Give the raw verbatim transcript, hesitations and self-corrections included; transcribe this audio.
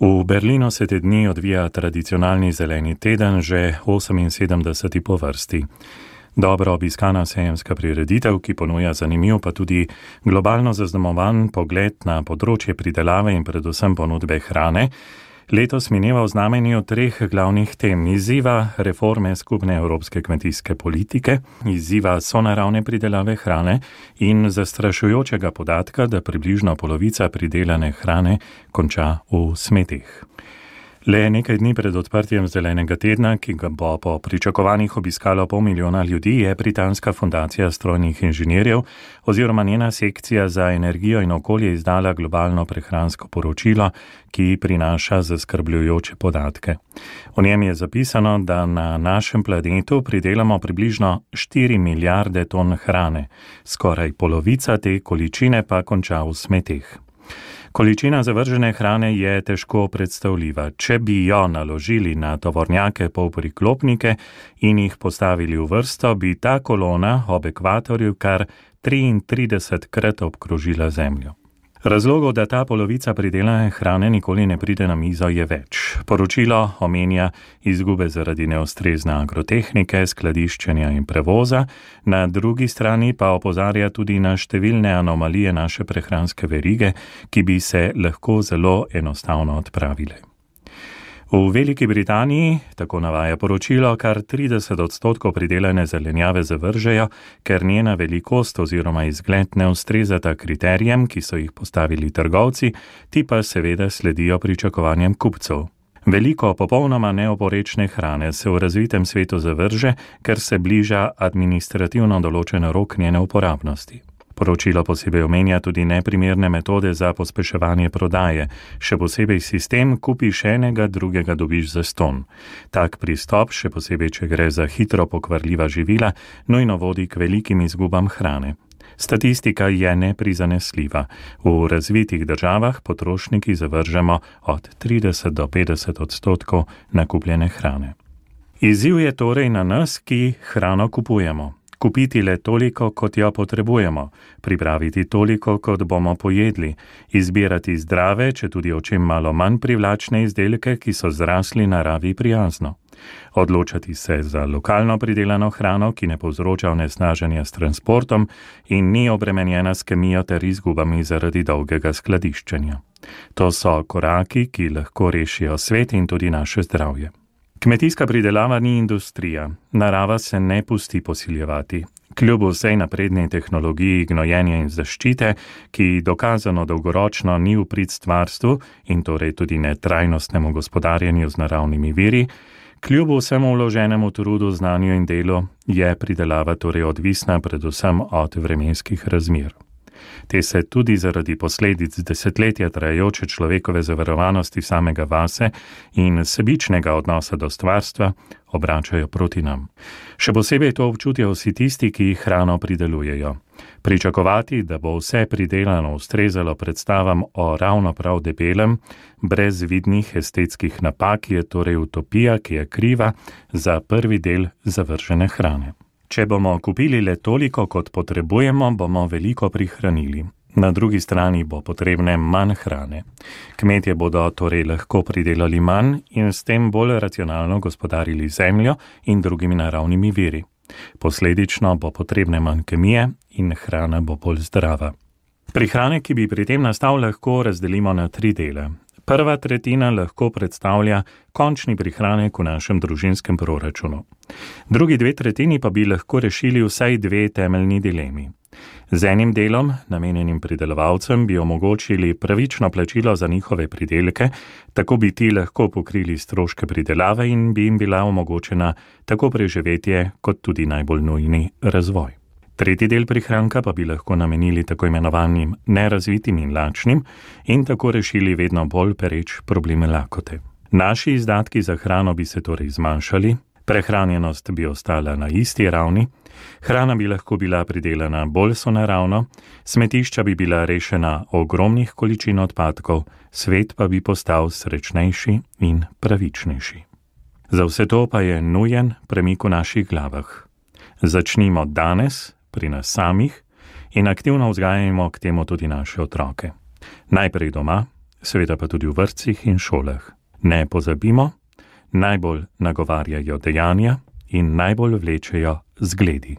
V Berlinu se te dni odvija tradicionalni zeleni teden, že oseminsedemdeseti po vrsti. Dobro obiskana sejemska prireditev, ki ponuja zanimiv pa tudi globalno zaznamovan pogled na področje pridelave in predvsem ponudbe hrane, letos mineva v znamenju treh glavnih tem: izziva reforme skupne evropske kmetijske politike, izziva sonaravne pridelave hrane in zastrašujočega podatka, da približno polovica pridelane hrane konča v smetih. Le nekaj dni pred odprtjem zelenega tedna, ki ga bo po pričakovanjih obiskalo pol milijona ljudi, je britanska fundacija strojnih inženirjev oziroma njena sekcija za energijo in okolje izdala globalno prehransko poročilo, ki prinaša zaskrbljujoče podatke. V njem je zapisano, da na našem planetu pridelamo približno štiri milijarde ton hrane, skoraj polovica te količine pa konča v smeteh. Količina zavržene hrane je težko predstavljiva. Če bi jo naložili na tovornjake polpriklopnike in jih postavili v vrsto, bi ta kolona ob ekvatorju kar triintridesetkrat obkrožila Zemljo. Razlogov, da ta polovica pridelane hrane nikoli ne pride na mizo, je več. Poročilo omenja izgube zaradi neustrezne agrotehnike, skladiščenja in prevoza, na drugi strani pa opozarja tudi na številne anomalije naše prehranske verige, ki bi se lahko zelo enostavno odpravile. V Veliki Britaniji, tako navaja poročilo, kar trideset odstotkov pridelane zelenjave zavržejo, ker njena velikost oziroma izgled ne ustrezata kriterijem, ki so jih postavili trgovci, ti pa seveda sledijo pričakovanjem kupcev. Veliko popolnoma neoporečne hrane se v razvitem svetu zavrže, ker se bliža administrativno določen rok njene uporabnosti. Poročilo posebej omenja tudi neprimerne metode za pospeševanje prodaje, še posebej sistem kupiš enega, drugega dobiš zastonj. Tak pristop, še posebej, če gre za hitro pokvarljiva živila, nujno vodi k velikim izgubam hrane. Statistika je neprizanesljiva. V razvitih državah potrošniki zavržemo od trideset do petdeset odstotkov nakupljene hrane. Izziv je torej na nas, ki hrano kupujemo. Kupiti le toliko, kot jo potrebujemo, pripraviti toliko, kot bomo pojedli, izbirati zdrave, če tudi očem malo manj privlačne izdelke, ki so zrasli naravi prijazno. Odločati se za lokalno pridelano hrano, ki ne povzroča onesnaženja s transportom in ni obremenjena s kemijo ter izgubami zaradi dolgega skladiščenja. To so koraki, ki lahko rešijo svet in tudi naše zdravje. Kmetijska pridelava ni industrija, narava se ne pusti posiljevati. Kljub vsej napredni tehnologiji gnojenja in zaščite, ki dokazano dolgoročno ni v prid stvarstvu in torej tudi ne trajnostnemu gospodarjenju z naravnimi viri, kljub vsemu vloženemu trudu, znanju in delu, je pridelava torej odvisna predvsem od vremenskih razmer. Te se tudi zaradi posledic desetletja trajajoče človekove zavarovanosti samega vase in sebičnega odnosa do stvarstva obračajo proti nam. Še posebej to občutijo vsi tisti, ki hrano pridelujejo. Pričakovati, da bo vse pridelano ustrezalo predstavam o ravno prav debelem, brez vidnih estetskih napak, je torej utopija, ki je kriva za prvi del zavržene hrane. Če bomo kupili le toliko, kot potrebujemo, bomo veliko prihranili. Na drugi strani bo potrebne manj hrane. Kmetje bodo torej lahko pridelali manj in s tem bolj racionalno gospodarili zemljo in drugimi naravnimi viri. Posledično bo potrebne manj kemije in hrana bo bolj zdrava. Prihranek, ki bi pri tem nastal, lahko razdelimo na tri dele. Prva tretjina lahko predstavlja končni prihranek v našem družinskem proračunu. Drugi dve tretjini pa bi lahko rešili vsaj dve temeljni dilemi. Z enim delom, namenjenim pridelovalcem, bi omogočili pravično plačilo za njihove pridelke, tako bi ti lahko pokrili stroške pridelave in bi jim bila omogočena tako preživetje kot tudi najbolj nujni razvoj. Tretji del prihranka pa bi lahko namenili tako imenovanim nerazvitim in lačnim in tako rešili vedno bolj pereč probleme lakote. Naši izdatki za hrano bi se torej zmanjšali, prehranjenost bi ostala na isti ravni, hrana bi lahko bila pridelana bolj sonaravno, smetišča bi bila rešena ogromnih količin odpadkov, svet pa bi postal srečnejši in pravičnejši. Za vse to pa je nujen premik v naših glavah. Začnimo danes, pri nas samih, in aktivno vzgajajmo k temu tudi naše otroke. Najprej doma, seveda pa tudi v vrtcih in šolah. Ne pozabimo, najbolj nagovarjajo dejanja in najbolj vlečejo zgledi.